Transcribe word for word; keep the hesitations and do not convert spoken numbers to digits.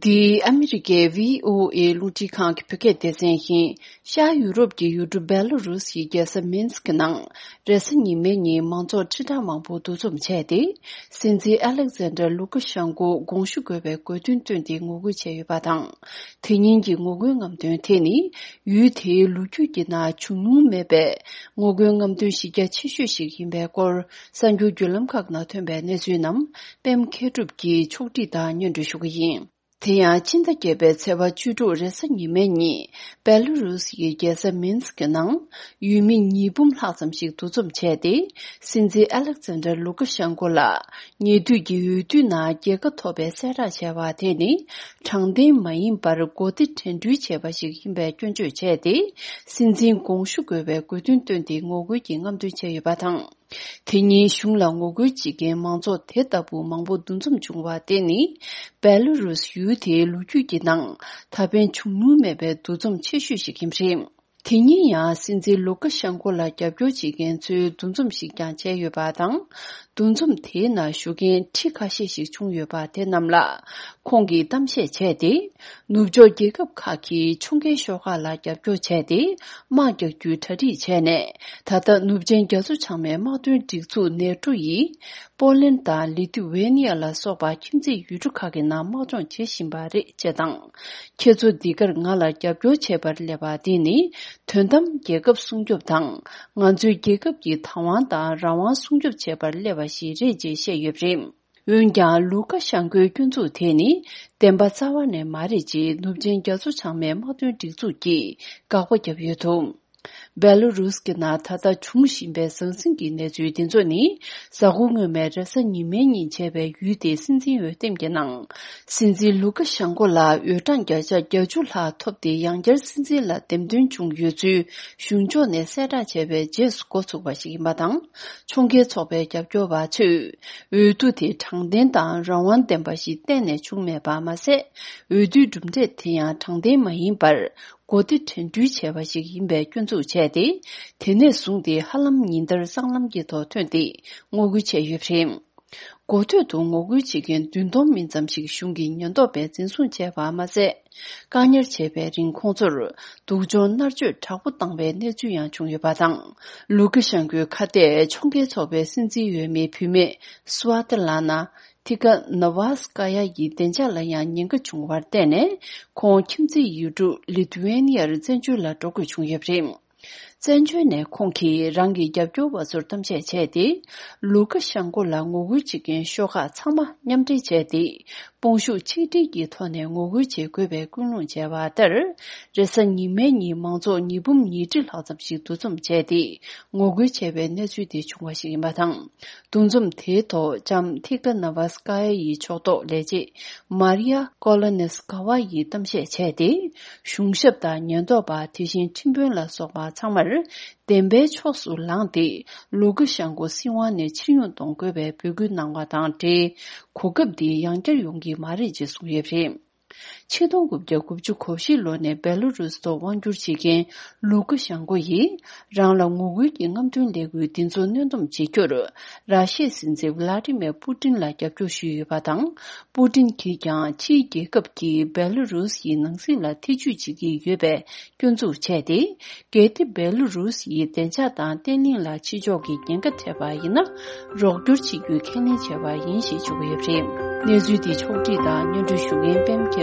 འདི་ཨ་མི་རི་ཀའི་བྷི་ཨོ་ཨེ་རླུང་འཕྲིན་ཁང་གི་བོད་སྐད་སྡེ་ཚན་ཡིན། ཤར་ཡུ་རོབ་ཀྱི་ཡུལ་གྲུ་བེ་ལ་རུ་སི་ཡི་རྒྱལ་ས་མིན་སི་ཀི་ནང་རེས་གཟའ་ཉི་མའི་ཉིན་མང་ཚོགས་ཁྲི་ཕྲག་མང་པོ་འདུ་འཛོམས་བྱས་ཏེ། སྲིད་འཛིན་ཨ་ལེག་ཛན་ཌར་ལུ་ཀ་ཤན་ཀོ་དགོངས་ཞུ་དགོས་པའི་དགོས་འདུན་བཏོན་ཏེ་ངོ་རྒོལ་བྱས་ཡོད་པ་དང་། དེ་ཉིན་གྱི་ངོ་རྒོལ་རྔམ་སྟོན་དེ་ནི། ཡུལ་དེའི་ལོ་རྒྱུས་ཀྱི་ནང་བྱུང་མྱོང་མེད་པའི་ངོ་རྒོལ་རྔམ་སྟོན་གཞི་རྒྱ་ཆེ་ཤོས་ཤིག་ཡིན་པའི་སྐོར། གསར་འགྱུར་བརྒྱུད་ལམ་ཁག་ནང་ཐོན་པའི་གནས་ཚུལ་རྣམས་པད་མ་མཁས་གྲུབ་ཀྱིས་ཕྱོགས་སྒྲིག་དང་སྙན་སྒྲོན་ཞུ་གི་ཡིན། དེ་ཡང་ཕྱི་ཟླ་བརྒྱད་པའི་ཚེས་པ་བཅུ་དྲུག་རེས་གཟའ་ཉི་མའི་ཉིན། བེ་ལ་རུ་སི་ཡི་རྒྱལ་ས་མིན་སི་ཀི་ནང་ཡུལ་མི་ཉིས་འབུམ་ལྷག་ཙམ་ཞིག་འདུ་འཛོམས་བྱས་ཏེ། སྲིད་འཛིན་ཨ་ལེག་ཛན་ཌར་ལུ་ཀ་ཤན་ཀོ་ལ། ཉེ་དུས་ཀྱི་འོས་བསྡུའི་ནང་རྒྱལ་ཁ་ཐོབ་པའི་གསལ་བསྒྲགས་བྱས་པ་དེ་ནི། དྲང་བདེན་མ་ཡིན་པར་མགོ་བདེ་དྲན་འཕྲུལ་བྱས་པ་ཞིག་ཡིན་པའི་སྐྱོན་བརྗོད་བྱས་ཏེ། སྲིད་འཛིན་དགོངས་ཞུ་དགོས་པའི་དགོས་འདུན་བཏོན་ཏེ་ངོ་རྒོལ་གྱི་རྔམ་སྟོན་བྱས་ཡོད་པ་དང་། དེ་ཉིན་གཞུང་ལ་ངོ་རྒོལ་བྱེད་མཁན་མང་ཚོགས་དེ་ལྟ་བུ་མང་པོ་འདུ་འཛོམས་བྱུང་བ་དེ་ནི། བེ་ལ་རུ་སི་ཡུལ་དེའི་ལོ་རྒྱུས་ཀྱི་ནང་ད་ཕན་བྱུང་མྱོང་མེད་པའི་འདུ་འཛོམས་ཆེ་ཤོས་ཤིག་ཡིན་པ་རེད། དེ་ཉིན་ཡང་སྲིད་འཛིན་ལུ་ཀ་ཤན་ཀོ་ལ་རྒྱབ་སྐྱོར་བྱེད་མཁན་ཚོའི་འདུ་འཛོམས་ཤིག་ཀྱང་བྱས་ཡོད་པ་དང་། འདུ་འཛོམས་དེའི་ནང་ཞུགས་མཁན་ཁྲི་ཁ་ཤས་ཤིག་བྱུང་ཡོད་པ་དེ་རྣམས་ལ་ཁོང་གིས་གཏམ་བཤད་བྱས་ཏེ། ནུབ་ཕྱོགས་རྒྱལ་ཁབ་ཁག་གིས་ཕྱོགས་འགལ་ཤོག་ཁག་ལ་རྒྱབ་སྐྱོར་བྱས་ཏེ། དམག་རྒྱག་རྒྱུའི་གྲ་སྒྲིག་བྱས་ནས། ད་ལྟ་ནུབ་ཆེན་རྒྱ་མཚོ་བྱང་མའི་དམག་དོན་སྒྲིག་འཛུགས་ནེ་ཊོ་ཡིས། པོ་ལན་དང་ལི་ཐུ་ཝེ་ནི་ཡ་ལ་སོགས་པ་ཁྱིམ་མཚེས་ཡུལ་གྲུ་ཁག་གི་ནང་དམག་སྦྱོང་བྱེད་བཞིན་པ་རེད་ཅེས་དང་། ཁྱེད་ཚོ་འདི་གར་ང་ལ་རྒྱབ་སྐྱོར་བྱེད་པར་སླེབས་པ་འདི་ནི། དོན་དམ་རྒྱལ་ཁབ་སྲུང་སྐྱོབ་དང་། ང་ཚོའི་རྒྱལ་ཁབ་ཀྱི་བདག་དབང་དང་རང་དབང་སྲུང་སྐྱོབ་བྱེད་པར་སླེབས་པ་ཞིག་རེད་ཅེས་བཤད་ཡོད་པ་རེད། འོན་ཀྱང་ལུ་ཀ་ཤན་ཀོའི་སྐྱོན་འཛུགས་དེ་ནི་བདེན་པ་རྩ་བ་ནས་མ་རེད་ཅེས་ནུབ་ཆེན་རྒྱ་མཚོ་བྱང་མའི་དམག་དོན་སྒྲིག་འཛུགས་ཀྱིས་དགག་པ་བརྒྱབ་ཡོད་འདུག་བེ་ལ་རུས་ཀྱི་ནང་ད་ལྟ་འབྱུང་བཞིན་པའི་ཟང་ཟིང་གི་གནས་ཚུལ་འདི་ཚོ་ནི། གཟའ་འཁོར་སྔོན་མའི་རེས་གཟའ་ཉི་མའི་ཉིན་བྱས་པའི་ཡུལ་དེའི་སྲིད་འཛིན་འོས་འདེམས་ཀྱི་ནང་། སྲིད་འཛིན་ལུ་ཀ་ཤན་ཀོ་ལ་འོས་གྲངས་བརྒྱ་ཆ་བརྒྱད་ཅུ་ལྷག་ཐོབ་སྟེ་ཡང་བསྐྱར་སྲིད་འཛིན་ལ་འདེམས་ཐོན་བྱུང་ཡོད་ཚུལ་གཞུང་ཕྱོགས་ནས་གསལ་བསྒྲགས་བྱས་པའི་རྗེས་སུ་འགོ་ཚུགས་པ་ཞིག་ཡིན་པ་དང་། ཕྱོགས་འགལ་ཚོགས་པའི་རྒྱབ་སྐྱོར་བ་ཚོས། འོས་བསྡུ་དེ་དྲང་བདེན་དང་རང་དབང་ལྡན་པ་ཞིག་གཏན་ནས་བྱུང་མེད་པ་མ་ཟད། འོས་བསྡུའི་གྲུབ་འབྲས་དེ་ཡང་དྲང་བདེན་མ་ཡིན་པར། མགོ་བདེ་དྲན་འཕྲུལ་བྱས་པ་ཞིག་ཡིན་པའི་སྐྱོན་འཛུགས་བྱས་ཏེ། དེ་ནས་བཟུང་སྟེ་ཧ་ལམ་ཉིན་ལྟར་སྲང་ལམ་གྱི་ཐོག་ཐོན་ཏེ་ངོ་རྒོལ་བྱས་ཡོད་པ་རེད། འགོ་ཐོག་ཏུ་ངོ་རྒོལ་བྱེད་མཁན་བདུན་སྟོང་མིན་ཙམ་ཞིག་གཞུང་གི་ཉེན་རྟོག་པས་འཛིན་བཟུང་བྱས་པ་མ་ཟད། བཀག་ཉར་བྱས་པའི་རིང་ཁོང་ཚོར་སྡུག་སྦྱོང་མནར་གཅོད་དྲག་པོ་བཏང་བའི་གནས་ཚུལ་ཡང་བྱུང་ཡོད་པ་དང་། ལུ་ཀ་ཤན་ཀོའི་ཁ་གཏད་ཕྱོགས་འགལ་ཚོགས་པའི་སྲིད་འཛིན་འོས་མི་བུད་མེད་སུ་ཝ་ཏི་ལ་ན། ཐི་ཀ་ནཱ་ཝ་སི་ཀ་ཡ་ཡི་བདེ་འཇགས་ལ་ཡང་ཉེན་ཁ་བྱུང་བར་བརྟེན་ནས། ཁོང་ཁྱིམ་མཚེས་ཡུལ་གྲུ་ལི་ཐུ་ཝེ་ནི་ཡར་བཙན་བྱོལ་ལ་འགྲོ་དགོས་བྱུང་ཡོད་པ་རེད། བཙན་བྱོལ་ནས་ཁོང་གིས་རང་གི་རྒྱབ་སྐྱོར་བ་ཚོར་གཏམ་བཤད་བྱས་ཏེ། ལུ་ཀ་ཤན་ཀོ་ལ་ངོ་རྒོལ་བྱེད་མཁན་ཤོག་ཁག་ཚང་མ་མཉམ་འབྲེལ་བྱས་ཏེ། དཔུང་ཤུགས་ཆིག་སྒྲིལ་གྱི་ཐོག་ནས་ངོ་རྒོལ་བྱེད་དགོས་པའི་སྐུལ་སློང་བྱས་པ་ལྟར། རེས་གཟའ་ཉི་མའི་ཉིན་མང་ཚོགས་ཉིས་འབུམ་ཉིས་ཁྲི་ལྷག་ཙམ་ཞིག་འདུ་འཛོམས་བྱས་ཏེ། ངོ་རྒོལ་བྱས་པའི་གནས་ཚུལ་དེ་བྱུང་བ་ཞིག་ཡིན་པ་དང་། འདུ་འཛོམས་དེའི་ཐོག་ལྕམ་ཐི་ཀ་ནཱ་ཝ་སི་ཀ་ཡ་ཡི་ཕྱོགས་གཏོགས་ལས་བྱེད་མཱ་རི་ཡ་ཀོ་ལོ་ནེ་སི་ཀ་ཝ་ཡིས་གཏམ་བཤད་བྱས་ཏེ། གཞུང་ཞབས་དང་ཉེན་རྟོག་པ། དེ་བཞིན་ཁྲིམས་དཔོན་ལ་སོགས་པ་ཚང་མར་བདེན་པའི་ཕྱོགས་སུ་ལངས་ཏེ། ལུ་ཀ་ཤན་ཀོ་སྲིད་དབང་ནས་ཕྱིར་ཡོང་གཏོང་དགོས་པའི་འབོད་སྐུལ་གནང་བ་དང་འབྲེལ། གོ་སྐབས་འདི་ཡང་བསྐྱར་ཡོང་གི་མ་རེད་ཅེས་གསུངས་ཡོད་པ་རེད། ཆིག་སྟོང་དགུ་བརྒྱ་དགུ་བཅུ་གོ་བཞི་ལོ་ནས་བེ་ལ་རུས་ཐོག་དབང་བསྒྱུར་བྱེད་མཁན་ལུ་ཀ་ཤན་ཀོ་ཡིས། རང་ལ་ངོ་རྒོལ་གྱི་རྔམ་སྟོན་ལས་འགུལ་འདི་ཚོ་གནོན་སྡོམ་བྱེད་རྒྱུར། ར་ཤི་ཡའི་སྲིད་འཛིན་ཝི་ལ་ཏི་མེར་པུ་ཏིན་ལ་རྒྱབ་སྐྱོར་ཞུས་ཡོད་པ་དང་། པུ་ཏིན་གྱིས་ཀྱང་ཕྱིའི་རྒྱལ་ཁབ་ཀྱིས་བེ་ལ་རུས་ཡི་ནང་སྲིད་ལ་ཐེ་ཇུས་བྱེད་ཀྱི་ཡོད་པའི་སྐྱོན་འཛུགས་བྱས་ཏེ། གལ་ཏེ་བེ་ལ་རུས་ཡིས་བདེ་འཇགས་དང་བརྟན་ལྷིང་ལ་ཕྱི་ཕྱོགས་ཀྱིས་ཉེན་ཁ་འཕྲད་པ་ཡིན་ན། རོགས་སྐྱོར་བྱེད་རྒྱུའི་ཁས་ལེན་བྱས་པ་ཡིན་ཞེས་བརྗོད་ཀྱི་ཡོད་པ་རེད། གནས་ཚུལ་འདི་ཕྱོགས་བསྒྲིགས་དང་སྙན་སྒྲོན་ཞུ་མཁན་པད་མ་